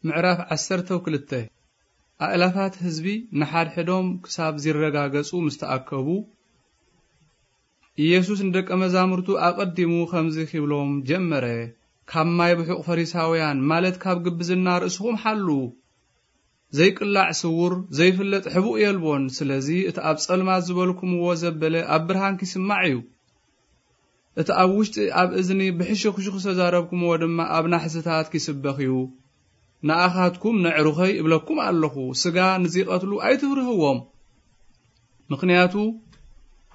ምዕራፍ ዓሰርተ ክልተ። ኣእላፋት ህዝቢ ንሓድሕዶም ክሳብ ዚረጋገጹ ምስ ተኣከቡ፣ ኢየሱስ ንደቀ መዛሙርቱ ኣቐዲሙ ኸምዚ ኺብሎም ጀመረ፣ ካብ ማይ ብሑቕ ፈሪሳውያን፣ ማለት ካብ ግብዝና ርእስኹም ሓሉ። ዘይቅላዕ ስዉር፣ ዘይፍለጥ ሕቡእ የልቦን። ስለዚ እቲ ኣብ ጸልማት ዝበልኩምዎ ዘበለ ኣብ ብርሃን ኪስማዕ እዩ። እቲ ኣብ ውሽጢ ኣብ እዝኒ ብሕሹኽሹኽ ዝተዛረብኩምዎ ድማ ኣብ ናሕስታት ኪስበኽ እዩ። ንኣኻትኩም ነዕሩኸይ እብለኩም ኣለኹ፣ ስጋ ንዚቐትሉ ኣይትፍርህዎም። ምኽንያቱ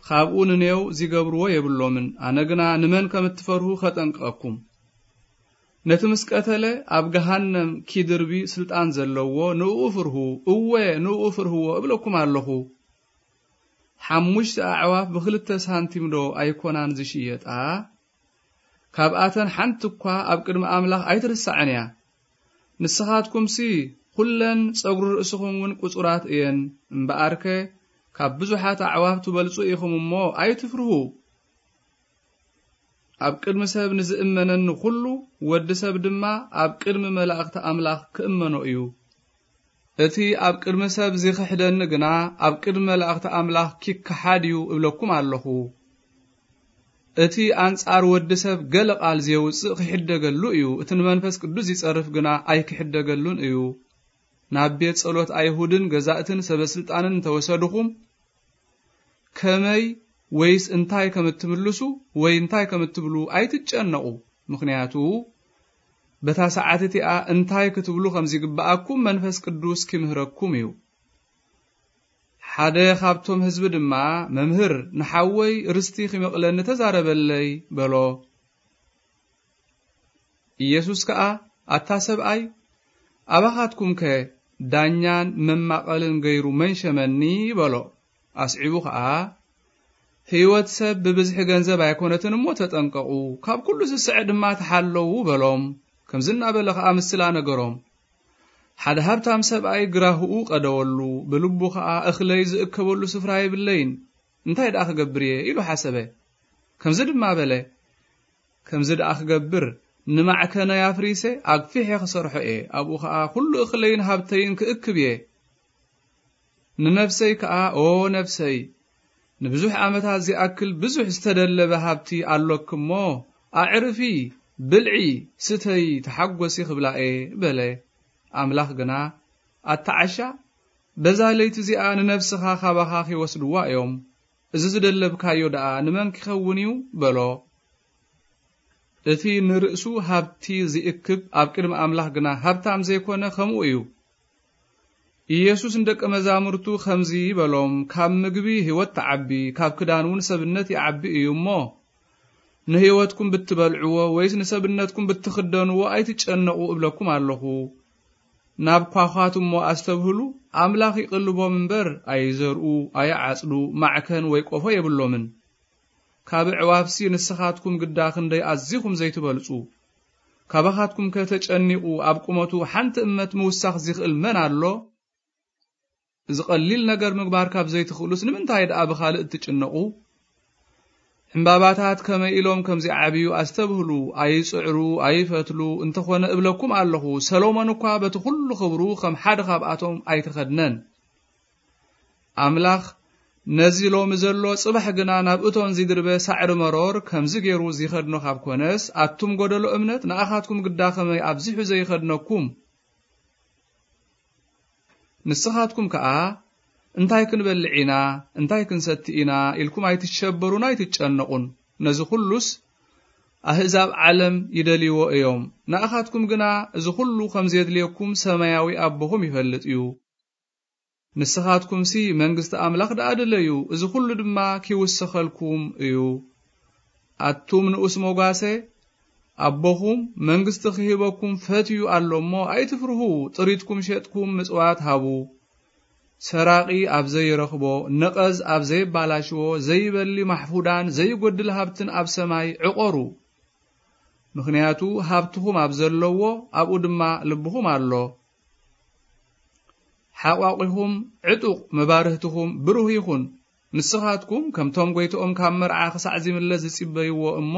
ካብኡ ንኔው ዚገብርዎ የብሎምን። ኣነ ግና ንመን ከም እትፈርሁ ኸጠንቅቐኩም። ነቲ ምስ ቀተለ ኣብ ገሃነም ኪድርቢ ስልጣን ዘለዎ ንእኡ ፍርሁ፣ እወ ንእኡ ፍርህዎ እብለኩም ኣለኹ። ሓሙሽተ ኣዕዋፍ ብኽልተ ሳንቲም ዶ ኣይኮናን ዝሽየጣ? ካብኣተን ሓንቲ እኳ ኣብ ቅድሚ ኣምላኽ ኣይትርሳዕን እያ። ንስኻትኩምሲ ኹለን ጸጉሪ ርእስኹም እውን ቅጹራት እየን። እምበኣርከ ካብ ብዙሓት ኣዕዋፍ ትበልጹ ኢኹም እሞ ኣይትፍርሁ። ኣብ ቅድሚ ሰብ ንዝእመነኒ ኹሉ፣ ወዲ ሰብ ድማ ኣብ ቅድሚ መላእኽቲ ኣምላኽ ክእመኖ እዩ። እቲ ኣብ ቅድሚ ሰብ ዚኽሕደኒ ግና ኣብ ቅድሚ መላእኽቲ ኣምላኽ ኪከሓድ እዩ እብለኩም ኣለኹ። እቲ ኣንጻር ወዲ ሰብ ገለ ቃል ዜውጽእ ኺሕደገሉ እዩ፣ እቲ ንመንፈስ ቅዱስ ዚጸርፍ ግና ኣይኪሕደገሉን እዩ። ናብ ቤት ጸሎት ኣይሁድን ገዛእትን ሰበ ስልጣንን እንተወሰድኹም፣ ከመይ ወይስ እንታይ ከም እትምልሱ ወይ እንታይ ከም እትብሉ ኣይትጨነቑ። ምኽንያቱ በታ ሰዓት እቲኣ እንታይ ክትብሉ ከም ዚግብኣኩም መንፈስ ቅዱስ ኪምህረኩም እዩ። ሓደ ኻብቶም ህዝቢ ድማ፣ "መምህር፣ ንሓወይ ርስቲ ኺመቕለኒ ተዛረበለይ" በሎ። ኢየሱስ ከኣ፣ "ኣታ ሰብኣይ፣ ኣባኻትኩምከ ዳኛን መማቐልን ገይሩ መን ሸመኒ?" በሎ። ኣስዒቡ ኸኣ፣ "ህይወት ሰብ ብብዝሒ ገንዘብ ኣይኮነትን እሞ ተጠንቀቑ፣ ካብ ኩሉ ዝስዐ ድማ ተሓለዉ" በሎም። ከምዚ እናበለ ኸኣ ምስላ ነገሮም። ሓደ ሃብታም ሰብኣይ ግራህኡ ቀደወሉ፣ ብልቡ ኸኣ፣ "እኽለይ ዝእከበሉ ስፍራ የብለይን፣ እንታይ ደኣ ክገብር እየ?" ኢሉ ሓሰበ። ከምዚ ድማ በለ፣ "ከምዚ ደኣ ክገብር፣ ንማዕከነይ ኣፍሪሰ ኣግፊሐ ክሰርሖ እየ፣ ኣብኡ ኸኣ ኩሉ እኽለይን ሃብተይን ክእክብ እየ። ንነፍሰይ ከኣ፣ ኦ ነፍሰይ፣ ንብዙሕ ዓመታት ዚኣክል ብዙሕ ዝተደለበ ሃብቲ ኣሎኪ እሞ፣ ኣዕርፊ፣ ብልዒ፣ ስተዪ፣ ተሓጐሲ ክብላ እየ" በለ። ኣምላኽ ግና፣ "ኣታ ዓሻ፣ በዛ ለይቲ እዚኣ ንነፍስኻ ካባኻ ኺወስድዋ እዮም። እዚ ዝደለብካዮ ደኣ ንመን ኪኸውን እዩ?" በሎ። እቲ ንርእሱ ሃብቲ ዚእክብ፣ ኣብ ቅድሚ ኣምላኽ ግና ሃብታም ዘይኮነ፣ ከምኡ እዩ። ኢየሱስ ንደቀ መዛሙርቱ ኸምዚ በሎም፣ "ካብ ምግቢ ህይወት ትዓቢ፣ ካብ ክዳን እውን ሰብነት ይዓቢ እዩ እሞ፣ ንህይወትኩም ብትበልዕዎ ወይስ ንሰብነትኩም ብትኽደንዎ ኣይትጨነቑ እብለኩም ኣለኹ። ናብ ኳዃት እሞ ኣስተብህሉ፣ ኣምላኽ ይቕልቦም እምበር፣ ኣይዘርኡ፣ ኣይዓጽዱ፣ ማዕከን ወይ ቆፎ የብሎምን። ካብ ኣዕዋፍሲ ንስኻትኩም ግዳ ክንደይ ኣዚኹም ዘይትበልጹ። ካባኻትኩምከ ተጨኒቑ ኣብ ቁመቱ ሓንቲ እመት ምውሳኽ ዚኽእል መን ኣሎ? እዚ ቐሊል ነገር ምግባር ካብ ዘይትኽእሉስ ንምንታይ ደኣ ብኻልእ እትጭነቑ? ዕምባባታት ከመይ ኢሎም ከም ዚዓብዩ ኣስተብህሉ። ኣይጽዕሩ፣ ኣይፈትሉ፣ እንተኾነ እብለኩም ኣለኹ፣ ሰሎሞን እኳ በቲ ኹሉ ኽብሩ ኸም ሓደ ኻብኣቶም ኣይተኸድነን። ኣምላኽ ነዚ ሎሚ ዘሎ ጽባሕ ግና ናብ እቶን ዚድርበ ሳዕሪ መሮር ከምዚ ገይሩ ዚኸድኖ ካብ ኮነስ፣ ኣቱም ጐደሎ እምነት፣ ንኣኻትኩም ግዳ ኸመይ ኣብዚሑ ዘይኸድነኩም? ንስኻትኩም ከኣ፣ "እንታይ ክንበልዕ ኢና? እንታይ ክንሰቲ ኢና?" ኢልኩም ኣይትሸበሩን ኣይትጨነቑን። ነዚ ኹሉስ ኣህዛብ ዓለም ይደልይዎ እዮም። ንኣኻትኩም ግና እዚ ኹሉ ከም ዜድልየኩም ሰማያዊ ኣቦኹም ይፈልጥ እዩ። ንስኻትኩምሲ መንግስቲ ኣምላኽ ደኣ ድለዩ፣ እዚ ኹሉ ድማ ኪውሰኸልኩም እዩ። ኣቱም ንኡስ መጓሰ፣ ኣቦኹም መንግስቲ ኺህበኩም ፈትዩ ኣሎ እሞ፣ ኣይትፍርሁ፣ ጥሪትኩም ሸጥኩም ምጽዋት ሃቡ። ሰራቒ ኣብ ዘይረኽቦ፣ ነቐዝ ኣብ ዘይባላሽዎ፣ ዘይበሊ ማሕፉዳን ዘይጎድል ሃብትን ኣብ ሰማይ ዕቖሩ። ምኽንያቱ ሃብትኹም ኣብ ዘለዎ፣ ኣብኡ ድማ ልብኹም ኣሎ። ሓቋቒኹም ዕጡቕ፣ መባርህትኹም ብሩህ ይኹን። ንስኻትኩም ከምቶም ጐይትኦም ካብ መርዓ ክሳዕ ዚምለስ ዝጺበይዎ እሞ፣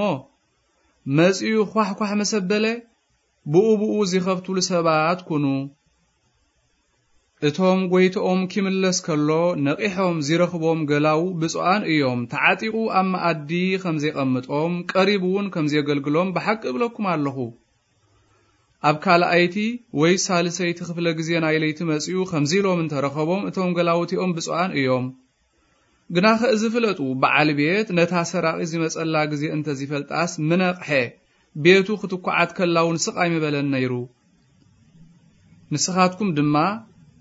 መጺኡ ኳሕኳሕ ምስ ኣበለ፣ ብኡ ብኡ ዚኸፍቱሉ ሰባት ኩኑ። እቶም ጐይትኦም ኪምለስ ከሎ ነቒሖም ዚረኽቦም ገላዉ ብፁዓን እዮም። ተዓጢቑ ኣብ መኣዲ ኸም ዜቐምጦም፣ ቀሪቡ እውን ከም ዜገልግሎም ብሓቂ እብለኩም ኣለኹ። ኣብ ካልኣይቲ ወይ ሳልሰይቲ ክፍለ ግዜ ናይ ለይቲ መጺኡ ኸምዚ ኢሎም እንተ ረኸቦም፣ እቶም ገላዉቲኦም ብፁዓን እዮም። ግናኸ እዚ ፍለጡ፣ በዓል ቤት ነታ ሰራቒት ዚመጸላ ግዜ እንተ ዚፈልጣስ ምነቕሐ፣ ቤቱ ክትኳዓት ከላ እውን ስቕ ኣይምበለን ነይሩ። ንስኻትኩም ድማ፣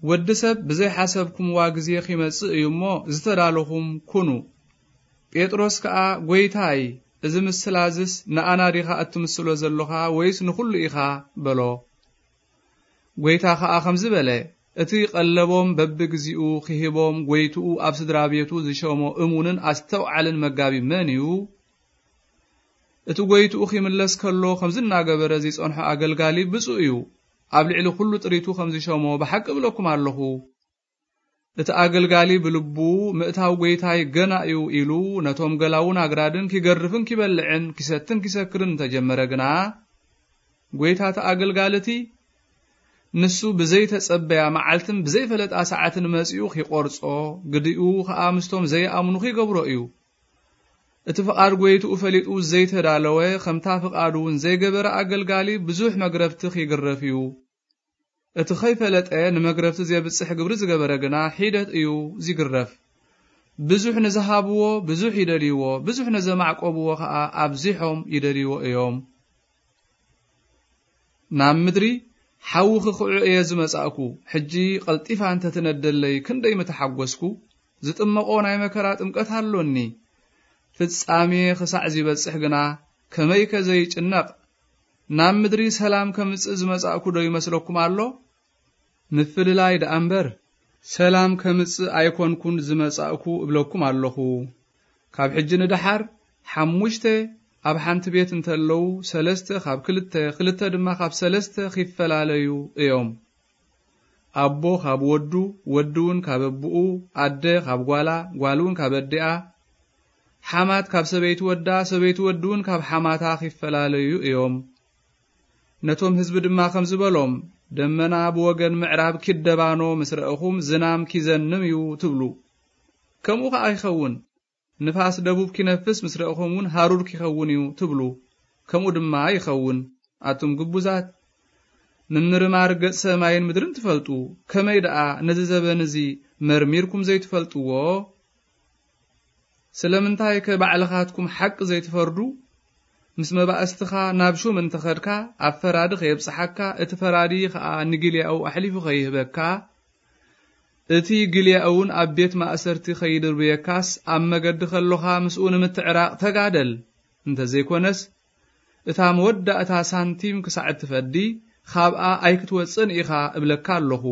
ወዲ ሰብ ብዘይሓሰብኩምዋ ግዜ ኺመጽእ እዩ እሞ፣ ዝተዳለኹም ኩኑ። ጴጥሮስ ከኣ፣ ጐይታይ፣ እዚ ምስላ እዝስ ንኣና ዲኻ እትምስሎ ዘሎኻ ወይስ ንኹሉ ኢኻ? በሎ። ጐይታ ኸኣ ኸምዚ በለ፣ እቲ ቐለቦም በብግዚኡ ኺህቦም ጐይትኡ ኣብ ስድራ ቤቱ ዝሸሞ እሙንን ኣስተውዓልን መጋቢ መን እዩ? እቲ ጐይትኡ ኺምለስ ከሎ ኸምዚ እናገበረ ዚጸንሖ ኣገልጋሊ ብፁእ እዩ። ኣብ ልዕሊ ኹሉ ጥሪቱ ኸም ዝሸሞ ብሓቂ እብለኩም ኣለኹ። እቲ ኣገልጋሊ ብልቡ፣ ምእታው ጐይታይ ገና እዩ ኢሉ፣ ነቶም ገላዉን ኣግራድን ኪገርፍን ኪበልዕን ኪሰትን ኪሰክርን እንተጀመረ ግና፣ ጐይታ እቲ ኣገልጋሊ እቲ ንሱ ብዘይተጸበያ መዓልትን ብዘይፈለጣ ሰዓትን መጺኡ ኺቖርጾ፣ ግዲኡ ኸኣ ምስቶም ዘይኣምኑ ኺገብሮ እዩ። እቲ ፍቓድ ጐይትኡ ፈሊጡ ዘይተዳለወ፣ ኸምታ ፍቓዱ እውን ዘይገበረ ኣገልጋሊ ብዙሕ መግረፍቲ ኺግረፍ እዩ። እቲ ኸይፈለጠ ንመግረፍቲ ዜብጽሕ ግብሪ ዝገበረ ግና ሒደት እዩ ዚግረፍ። ብዙሕ ንዝሃብዎ ብዙሕ ይደልይዎ፣ ብዙሕ ንዘማዕቆብዎ ኸኣ ኣብዚሖም ይደልይዎ እዮም። ናብ ምድሪ ሓዊ ኽኽዑ እየ ዝመጻእኩ፣ ሕጂ ቐልጢፋ እንተ ትነደለይ ክንደይ ምተሓጐስኩ። ዝጥመቖ ናይ መከራ ጥምቀት ኣሎኒ። ፍጻሜ ኽሳዕ ዚበጽሕ ግና ከመይከ ዘይጭነቕ። ናብ ምድሪ ሰላም ከምጽእ ዝመጻእኩ ዶ ይመስለኩም ኣሎ? ምፍልላይ ደኣ እምበር፣ ሰላም ከምጽእ ኣይኮንኩን ዝመጻእኩ እብለኩም ኣለኹ። ካብ ሕጂ ንደሓር፣ ሓሙሽተ ኣብ ሓንቲ ቤት እንተለዉ፣ ሰለስተ ካብ ክልተ፣ ክልተ ድማ ካብ ሰለስተ ኺፈላለዩ እዮም። ኣቦ ኻብ ወዱ፣ ወዲ እውን ካብ ኣቦኡ፣ ኣደ ኻብ ጓላ፣ ጓል እውን ካብ ኣዲኣ፣ ሓማት ካብ ሰበይቲ ወዳ፣ ሰበይቲ ወዲ እውን ካብ ሓማታ ኺፈላለዩ እዮም። ነቶም ህዝቢ ድማ ኸምዚ በሎም፣ ደመና ብወገን ምዕራብ ኪደባኖ ምስ ረእኹም፣ ዝናም ኪዘንም እዩ ትብሉ። ከምኡ ኸኣ ይኸውን። ንፋስ ደቡብ ኪነፍስ ምስ ረእኹም እውን፣ ሃሩር ኪኸውን እዩ ትብሉ። ከምኡ ድማ ይኸውን። ኣቱም ግቡዛት፣ ምምርማር ገጽ ሰማይን ምድርን ትፈልጡ፣ ከመይ ደኣ ነዚ ዘበን እዚ መርሚርኩም ዘይትፈልጥዎ? ስለምንታይከ ባዕልኻትኩም ሓቂ ዘይትፈርዱ? ምስ መባእስትኻ ናብ ሹም እንተ ኸድካ፣ ኣብ ፈራዲ ኸየብጽሓካ፣ እቲ ፈራዲ ኸኣ ንጊልያኡ ኣሕሊፉ ኸይህበካ፣ እቲ ጊልያኡ እውን ኣብ ቤት ማእሰርቲ ኸይድርብየካስ፣ ኣብ መገዲ ኸሎኻ ምስኡ ንምትዕራቕ ተጋደል። እንተ ዘይኮነስ፣ እታ መወዳእታ ሳንቲም ክሳዕ እትፈዲ፣ ኻብኣ ኣይክትወጽእን ኢኻ እብለካ ኣለኹ።